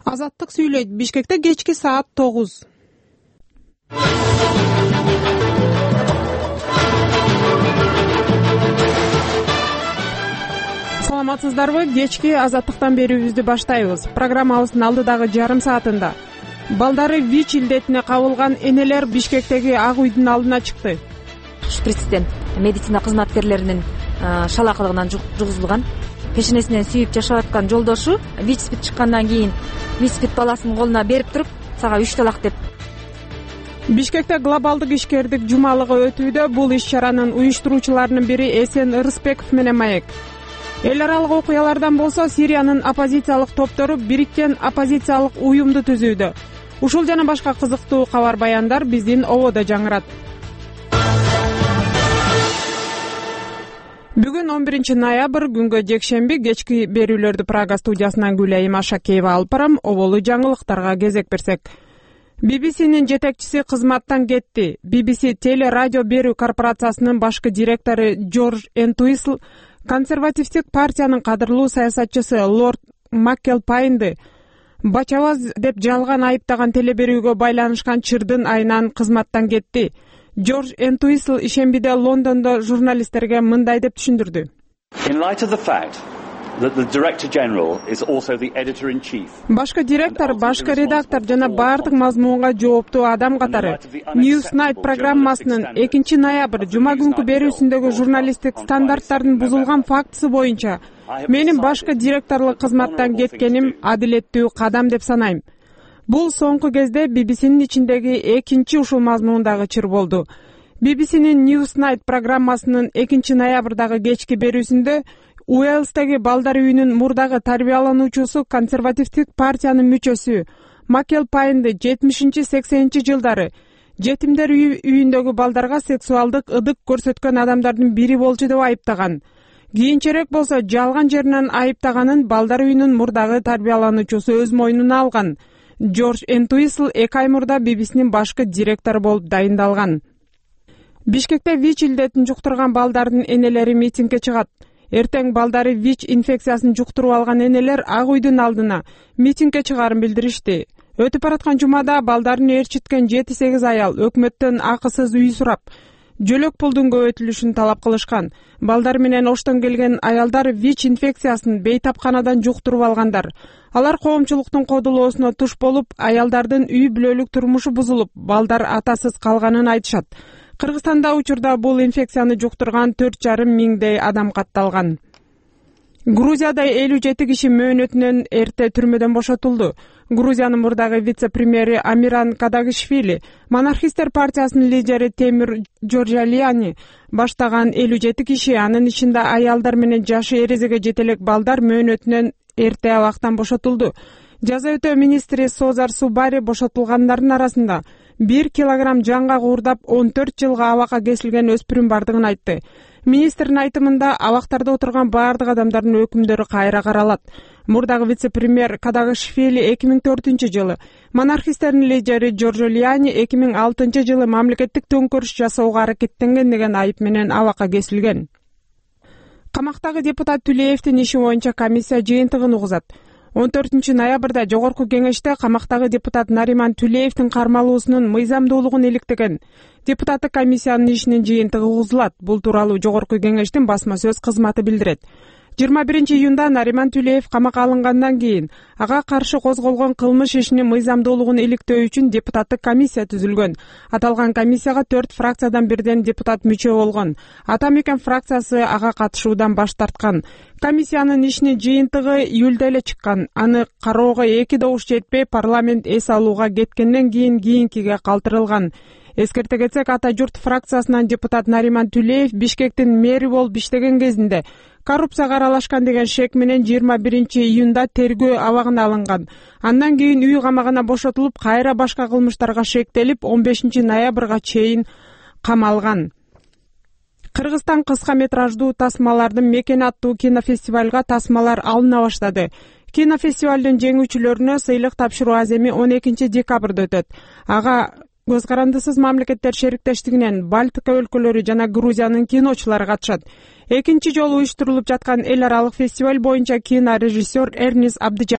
Азаттык сүйлөйт. Бишкекте кечки саат 9. Саламатсыздарбы? Кечки Азаттыктан берүүбүздү баштайбыз. Программабыздын алдыдагы жарым саатында балдары ВИЧ илдетине кабылган энелер Бишкектеги Ак үйдүн алдына чыкты. Шприцтен медицина кызматкерлеринин шалакылыгынан жугузулган. Пешенесинен сүйүп жашап аткан жолдошу ВИЧ-спид чыккандан кийин ВИЧ-спид баласын колуна берип туруп, сага 3 талак деп. Бишкекте глобалдык ишкердик жумалыгы өтүүдө. Бул иш-чаранын уюштуруучуларынын бири Эсен Ырысбеков менен маек. Эл аралык окуялардан болсо Сириянын оппозициялык топтору бириккен оппозициялык уюмду түзүүдө. Ушул жана башка кызыктуу кабар баяндар биздин ободо жаңырат. Бүгүн 11 ноябрь күнгө жекшемби кечки берүүлөрдү Прага студиясынан Гүлайым Ашакеева алып барам. Оболу жаңылыктарга кезек берсек. BBC'нин жетекчиси кызматтан кетти. BBC теле радио берүү корпорациясынын башкы директору Джордж Энтуисл консервативдик партиянын кадырлуу саясатчысы Лорд Маккелпайнды бачабаз деп жалган айыптаган теле берүүгө байланышкан чырдын айынан кызматтан кетти. Джордж Энтуисл ишембиде Лондондо журналисттерге мындай деп түшүндүрдү. Башкы директор, башкы редактор жана баардык мазмунга жооптуу адам катары Newsnight программасынын 2 ноябрь жума күнкү берүүсүндөгү журналисттик стандарттардын бузулган фактысы боюнча менин башкы директорлук кызматтан кеткеним адилеттүү кадам деп санайм. Бул соңку кезде BBC'нин ичиндеги экинчи ушул мазмундагы чыр болду. BBC'нин Newsnight программасынын 2 ноябрдагы кечки берүүсүндө Уэльстеги балдар үйүнүн мурдагы тарбиялануучусу консервативдик партиянын мүчөсү Маккелпайнды 70-80 жылдары жетимдер үйүндөгү балдарга сексуалдык ыдык көрсөткөн адамдардын бири болчу деп айыптаган. Кийинчерээк болсо жалган жеринен айыптаганын балдар үйүнүн мурдагы тарбиялануучусу өз мойнуна алган. Джордж Энтуисл 2 ай мурда BBC'нин башкы директору болуп дайындалган. Бишкекте ВИЧ илдетин жуктурган балдардын энелери митингге чыгат. Эртең балдары ВИЧ инфекциясын жуктуруп алган энелер Ак үйдүн алдына митингге чыгарын билдиришти. Өтүп бараткан жумада балдарын ээрчиткен 7-8 аял өкмөттөн акысыз үй сурап, жөлөк пулдун көбөйтүлүшүн талап кылышкан. Балдар менен оштон келген аялдар ВИЧ инфекциясын бейтапканадан жуктуруп алгандар. Алар коомчулуктун кодулоосуна туш болуп, аялдардын үй бүлөлүк турмушу бузулуп, балдар атасыз калганын айтышат. Кыргызстанда учурда бул инфекцияны жуктурган 4,5 миңдей адам катталган. Грузияда 57 киши мөөнөтүнөн эрте түрмөдөн бошотулду. Грузиянын мурдагы вице-премьери Амиран Кадагишвили, монархисттер партиясынын лидери Темир Джорджалияни баштаган 57 киши, анын ичинде аялдар менен жашы эрезеге жетелек балдар мөөнөтүнөн эрте абактан бошотулду. Жаза өтөө министри Созар Субари бошотулгандардын арасында 1 килограмм жанга куурдап 14 жылга абакка кесилген өспүрүм бардыгын айтты. Министрдин айтымында абактарда отурган баардык адамдардын өкүмдөрү кайра каралат. Мурдагы вице-премьер Кадагишвили 2004 жылы, монархисттердин лидери Джорджолияни 2006 жылы мамлекеттик төңкөрүш жасоого аракеттенген деген айып менен абакка кесилген. Камактагы депутат Түлеевдин иши боюнча комиссия жыйынтыгын угузат. 14 ноябрда жогорку кеңеште камактагы депутат Нариман Түлеевдин кармалуусунун мыйзамдуулугун иликтеген депутаттык комиссиянын ишинин жыйынтыгы угузулат. Бул тууралуу жогорку кеңештин басма сөз кызматы билдирет. 21 июнда Нариман Түлеев камакка алынгандан кийин ага каршы козголгон кылмыш ишинин мыйзамдуулугун иликтөө үчүн депутаттык комиссия түзүлгөн. Аталган комиссияга 4 фракциядан бирден депутат мүчө болгон. Атамекен фракциясы ага катышуудан баш тарткан. Комиссиянын ишинин жыйынтыгы июлда эле чыккан. Аны кароого 2 добуш жетпей парламент эс алууга кеткенден кийинкиге калтырылган. Эскерте кетсек, Ата журт фракциясынан депутат Нариман Түлеев Бишкектин мэри болуп иштеген кезинде коррупцияга аралашкан деген шек менен 21 июнда тергөө абагына алынган. Андан кийин үй камагына бошотулуп, кайра башка кылмыштарга шектелип, 15 ноябрга чейин камалган. Кыргызстан кыска метраждуу тасмалардын мекени аттуу кинофестивалга тасмалар алына баштады. Кинофестивалдын жеңүүчүлөрүнө сыйлык тапшыруу аземи 12 декабрда өтөт. Ага көз карандысыз мамлекеттер шериктештигинен Балтика өлкөлөрү жана Грузиянын киночулары катышат. Экинчи жолу уюштурулуп жаткан эл аралык фестиваль боюнча кинорежиссер Эрнис Абдыжан